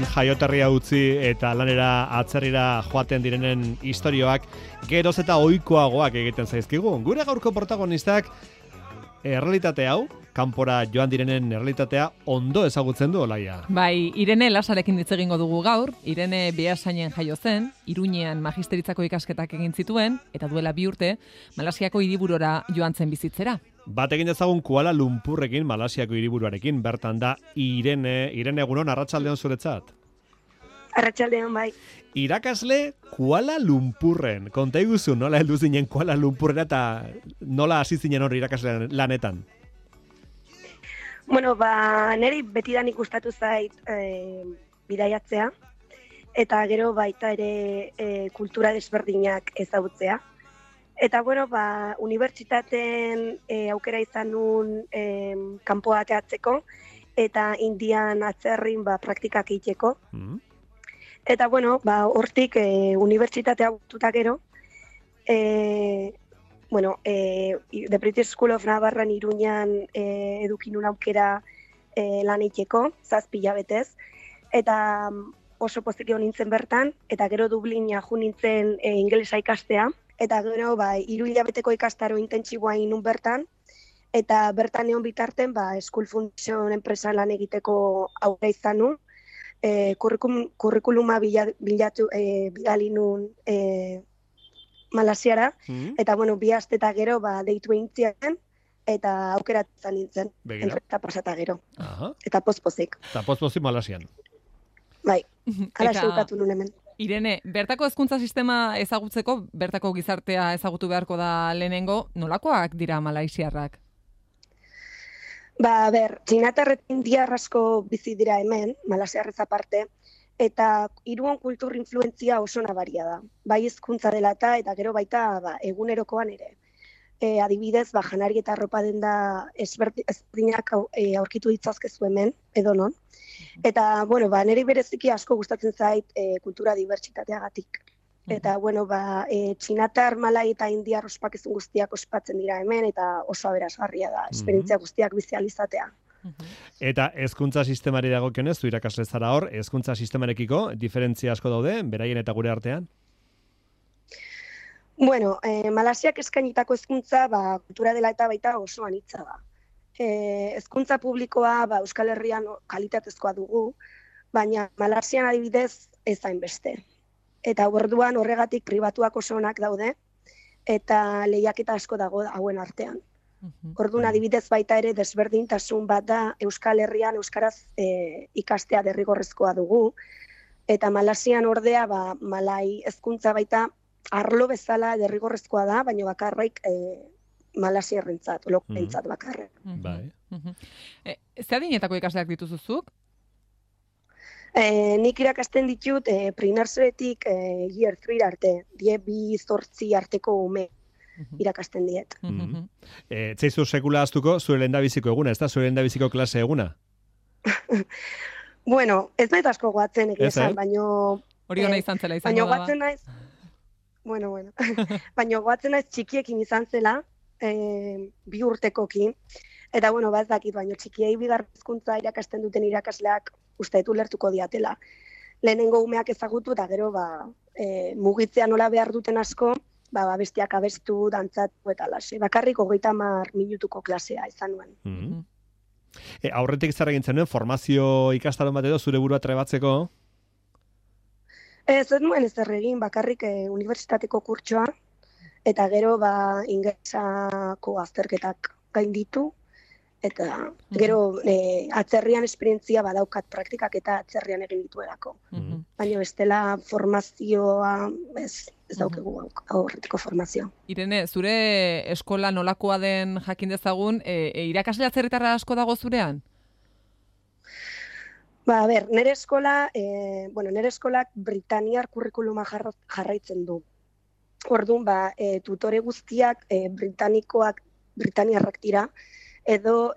jaioterria utzi eta lanera atzerrira joaten direnen istorioak geroz eta ohikoagoak egiten zaizkigu. Gure gaurko protagonistak errealitate hau, kanpora joan direnen errealitatea ondo ezagutzen du Olaia. Bai, Irene Lasarekin hitz egingo dugu gaur. Irene Beasainen jaio zen, Iruñean magisteritzako ikasketak egin zituen, eta duela 2 urte, Malasiako hiriburura joan zen bizitzera. Bat egin dezagun Kuala Lumpurrekin, Malasiako hiriburuarekin, bertan da Irene egunon, arratsaldeon zuretzat. Arratsaldeon bai. Irakasle Kuala Lumpurren. Konta iguzu, nola heldu zinen Kuala Lumpurrera eta nola hasi zinen hori irakasle lanetan? Bueno, niri betidan ikustatu zait bidaiatzea, eta gero baita ere kultura desberdinak ezagutzea. Eta bueno, unibertsitateen aukera izan nun kanpoa ateatzeko, eta Indian atzerrin praktikak egiteko. Eta bueno, hortik unibertsitatea bututa gero, The British School of Navarran Iruñan edukin un aukera lan egiteko, 7 hilabetez, eta oso pozik egon nintzen bertan, eta gero Dublina jo nintzen ingelesa ikastea, eta gero 3 hilabeteko ikastaro intentsiboa egin nun bertan, eta bertan egon bitarten School Foundation enpresan lan egiteko aukera izan nun, kurrikuluma bidali nun Malasiara, eta 2 aste eta gero deitu egin ziren, eta aukeratzen nintzen, enpresa pasata gero. Aha. Eta pozpozik. Eta pozpozik Malasian. Bai, ala xeukatu nun hemen. Irene, bertako hezkuntza sistema ezagutzeko, bertako gizartea ezagutu beharko da lehenengo, nolakoak dira malaisiarrak? Txinatar eta indiar asko bizi dira hemen, malasiarrez aparte, eta Iruan kultur influentzia oso nabaria da. Bai hizkuntza dela eta gero baita egunerokoan ere. Adibidez, janari eta arropa denda ezberdinak aurkitu ditzazkezu hemen, edonon. Eta, niri bereziki asko gustatzen zait kultura dibertsitateagatik. Eta, txinatar, malai eta indiar ospakizun guztiak ospatzen dira hemen, eta oso aberasgarria da, esperientzia guztiak bizializatea. Eta hezkuntza sistemari dagokionez, zu irakasle zara hor, hezkuntza sistemarekiko diferentzia asko daude, beraien eta gure artean? Malasiak eskainitako hezkuntza kultura dela eta baita oso anitza da. Hezkuntza publikoa Euskal Herrian kalitatezkoa dugu, baina Malasian adibidez ez hainbeste. Eta orduan horregatik pribatuak oso onak daude, eta lehiaketa asko dago hauen artean. Orduan adibidez baita ere desberdintasun bat da Euskal Herrian euskaraz ikastea derrigorrezkoa dugu, eta Malasian ordea malai hezkuntza baita arlo bezala derrigorrezkoa da, baina bakarrik malasiarrentzat, lokentzat bakarrik. Ze adinetako ikasleak dituzuzuk? Nik irakasten ditut pre-nurserytik year 3 arte, 2-8 arteko ume irakasten diet. Zaizu sekula aztuko zure lehendabiziko eguna, ez da zure lehendabiziko klase eguna? Ez nahi asko goatzen egizan, baina... Hori hona izan zela izango da. Baina goatzen naiz txikiekin izan zela, 2 urtekokin, eta ez dakit, baina txikiei bigarren hezkuntza irakasten duten irakasleak uste dut ulertuko diatela. Lehenengo umeak ezagutu, eta gero mugitzea nola behar duten asko, bestiak abestu, dantzatu eta lase. Bakarrik 30 minutuko klasea izan nuen. Aurretik zer egin zenuen, formazio ikastaron bat edo zure burua trebatzeko? Ez nuen ez egin, bakarrik unibertsitateko kurtsoa, eta gero ingelesako azterketak gainditu, eta gero atzerrian esperientzia badaukat praktikak eta atzerrian egin dituelako. Baina bestela formazioa ez daukegu aurretiko formazioa. Irene, zure eskola nolakoa den jakin dezagun, irakasle atzerritarra asko dago zurean? Nire eskolak Britaniar kurrikuluma jarraitzen du. Orduan, tutore guztiak Britaniarrak dira, edo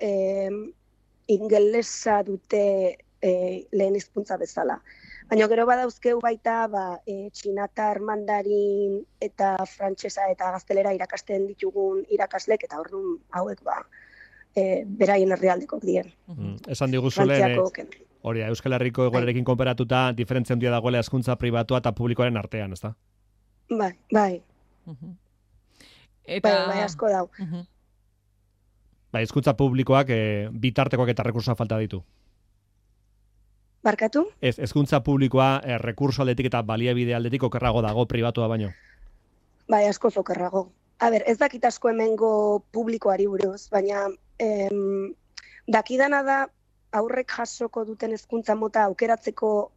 ingelesa dute lehen hizkuntza bezala. Baina gero badauzkeu baita txinatar, mandarin eta frantsesa eta gaztelera irakasten ditugun irakaslek, eta orduan hauek beraien herrialdekok dien. Esan diguzule, Hori, Euskal Herriko egoerarekin konparatuta, diferentzia handia dagoela hezkuntza pribatua eta publikoaren artean, ezta? Bai. Eta... Bai, asko dau. Bai, hezkuntza publikoak bitartekoak eta rekursoa falta ditu. Barkatu? Ez, hezkuntza publikoa rekurso aldetik eta baliabide aldetik okerrago dago pribatua baino. Bai, asko okerrago. A ber, ez dakit asko hemengo publikoari buruz, baina dakidana da aurrek jasoko duten hezkuntza mota aukeratzeko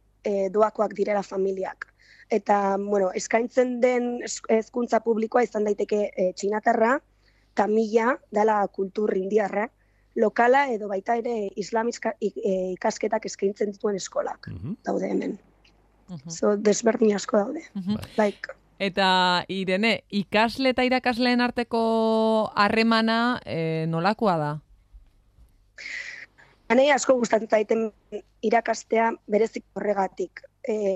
doakoak direla familiak. Eta, bueno, eskaintzen den hezkuntza publikoa izan daiteke txinatarra, tamila, dela kultur indiarra, lokala edo baita ere ikasketak eskaintzen dituen eskolak daude hemen. Desberdin asko daude. Eta, Irene, ikasle eta irakasleen arteko harremana nolakoa da? Hanei asko gustatzen zaiten irakastea berezik horregatik.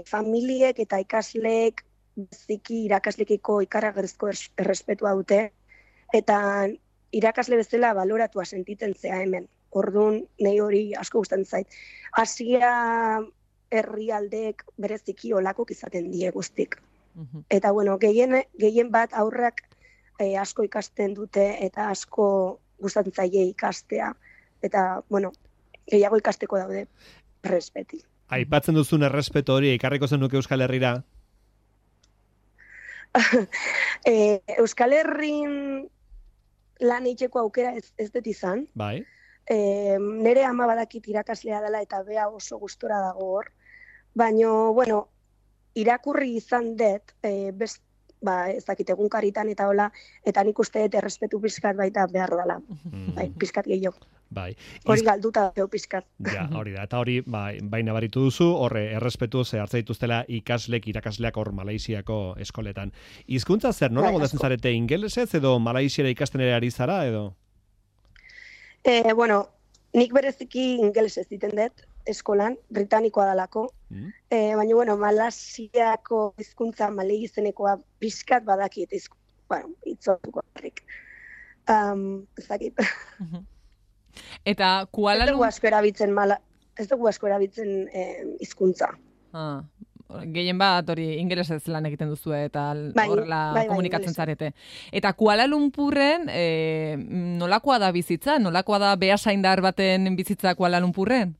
Familiek eta ikasleek beziki irakaslekiko ikaragarrizko errespetua dute, eta irakasle bezala baloratua sentitzen zea hemen. Orduan, nahi hori asko gustatzen zait. Asia herrialdeek bereziki olakok izaten die guztik. Eta, bueno, gehien bat aurrak asko ikasten dute eta asko gustatzen zaie ikastea. Eta, bueno, gehiago ikasteko daude errespeti. Aipatzen duzun errespetu hori, ekarriko zenuke Euskal Herrira? Euskal Herrin lan eiteko aukera ez dut izan. Bai. Nere ama badakit irakaslea dela eta bea oso gustora dago hor. Baina, bueno, irakurri izan dut, ez dakit egunkaritan eta hola, eta nik uste dut errespetu pizkat baita behar dela. Bai, pizkat gehiago. Bai. Hori galduta da pizkat. Ja, hori da. Eta hori, bai nabaritu duzu, horre errespetu hartza dituztela irakasleak hor Malaisiako eskoletan. Hizkuntza zer, nola godazen zarete ingelesez edo Malaisiara ikasten ere ari zara edo? Bueno, nik bereziki ingelesez diten dut eskolan, britanikoa dalako. Baina, bueno, Malaisiako hizkuntza malei izenekoa pizkat badakit, itzotuko harrik. Ez dakit. Eta Kuala ez dugu asko erabiltzen hizkuntza. Gehien bat hori ingelesez lan egiten duzu eta horrela komunikatzen zarete. Eta Kuala Lumpurren nolakoa da bizitza? Nolakoa da beasaindar baten bizitza Kuala Lumpurren?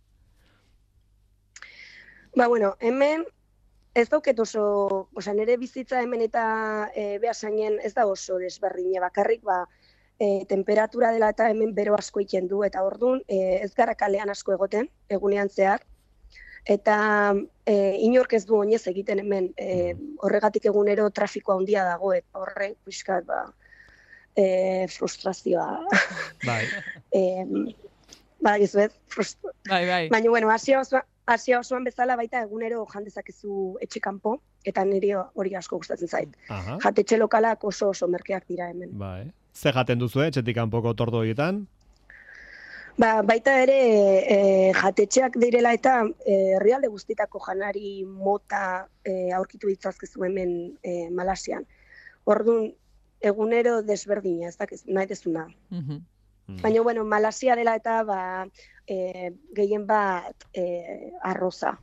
Bueno, hemen ez dauket oso, nire bizitza hemen eta beasainen ez da oso desberdine bakarrik, temperatura dela eta hemen bero asko iten du, eta orduan ez gara kalean asko egoten, egunean zehar, eta inork ez du oinez egiten hemen, horregatik egunero trafikoa handia dago, eta horrek pixkat frustrazioa. Bai. Gizuet, Bai. Baina, bueno, Asia osoan bezala baita egunero jandezakezu etxekanpo, eta niri hori asko gustatzen zait. Jatetxe lokalak oso merkeak dira hemen. Bai. Ze jaten duzu, etxetik kanpoko tordo horietan? Baita ere jatetxeak direla eta herrialde guztitako janari mota aurkitu ditzazkezu hemen Malasian. Orduan, egunero desberdina, ez dakiz, nahi dezuna. Baina, bueno, Malasia dela eta gehien bat arroza.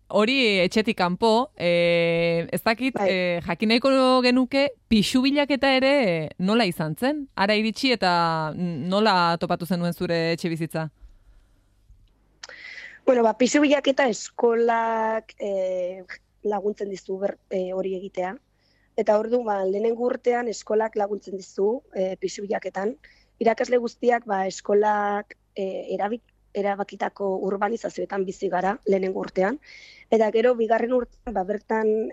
Hori etxetik kanpo, ez dakit, jakin nahiko genuke, pixu bilaketa ere nola izan zen? Ara iritsi eta nola topatu zenuen zure etxe bizitza? Bueno, pixu bilaketa eskolak laguntzen dizu hori egitea. Eta ordu, lehenengo urtean eskolak laguntzen dizu pixu bilaketan. Irakasle guztiak eskolak erabakitako urbanizazioetan bizi gara lehenengo urtean. Eta gero, bigarren urtean, bertan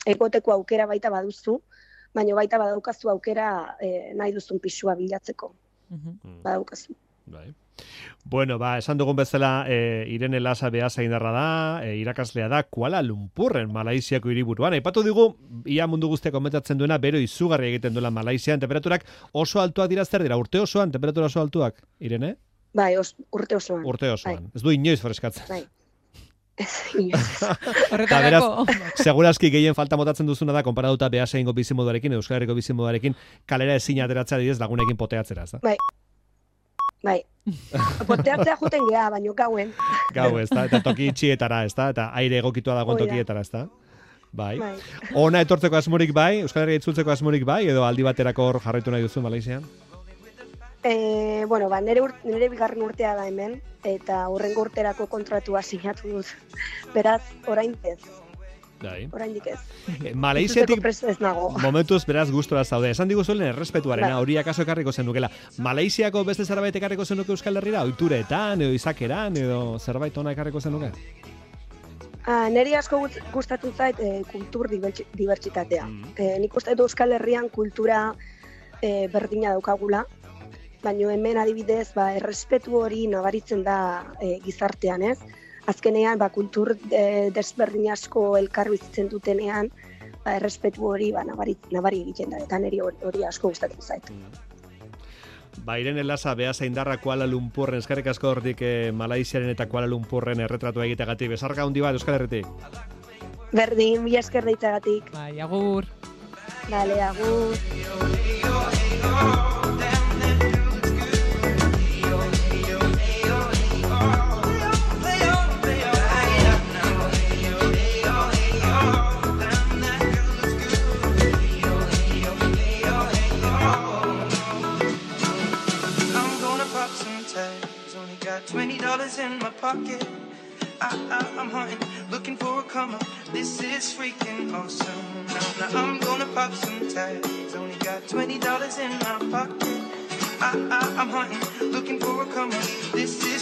egoteko aukera baita baduzu, baina baita badaukazu aukera nahi duzun pixua bilatzeko. Badaukazu. Bai. Bueno, esan dugun bezala, Irene Lasa beasaindarra da, irakaslea da Kuala Lumpurren, Malaisiako hiriburuan. Aipatu digu, ia mundu guztiak komentatzen duena, bero izugarri egiten duela Malaisian, temperaturak oso altuak dira, zer dira, urte osoan, temperatura oso altuak, Irene? Bai, urte osoan. Urte osoan. Ez du inoiz freskatzen. Bai. Inoiz. Horretarako. Segurazki gehien falta motatzen duzuna da, konparatuta beasaingo bizimoduarekin, Euskal Herriko bizimoduarekin, kalera ezin ateratzea didez lagunekin poteatzera, ez da? Bai. Bai. Porteatzea juten geha, baino gauen. Gau, ez da, eta toki itxietara, ez da, eta aire egokitua dagoen tokietara, ez da. Bai. Ona etortzeko asmorik bai, Euskal Herria itzultzeko asmorik bai, edo aldi baterako hor jarraitu nahi duzu Malaysian? Bueno, nire bigarren urtea da hemen, eta hurrengo urterako kontratua sinatu dut. Beraz, orain ez. Oraindik ez. Malaysiatik momentuz beraz gustora zaude. Esan diguzuelen errespetuarena, hori akaso ekarriko zenukela. Malaysiako beste zerbait ekarriko zenuke Euskal Herrira? Oituretan, edo izakeran, edo zerbait ona ekarriko zenuke? Neri asko gustatzen zait kultur dibertsitatea. Nik uste dut Euskal Herrian kultura berdina daukagula, baina hemen adibidez errespetu hori nabaritzen da gizartean, ez? Azkenean, kultur desberdin asko elkar bizitzen dutenean, errespetu hori nabari egiten da, eta niri hori asko gustatzen zait. Irene Lasa, Beasaindarra, Kuala Lumpurren, eskerrik asko hortik Malaysiaren eta Kuala Lumpurren erretratua egiteagatik. Besarka handi bat, Euskal Herritik. Berdin, mila esker deitagatik. Bai, agur. Dale, agur. $20 in my pocket. I'm hunting, looking for a come up. This is freaking awesome. Now I'm gonna pop some tags. Only got $20 in my pocket. I'm hunting, looking for a come up. This is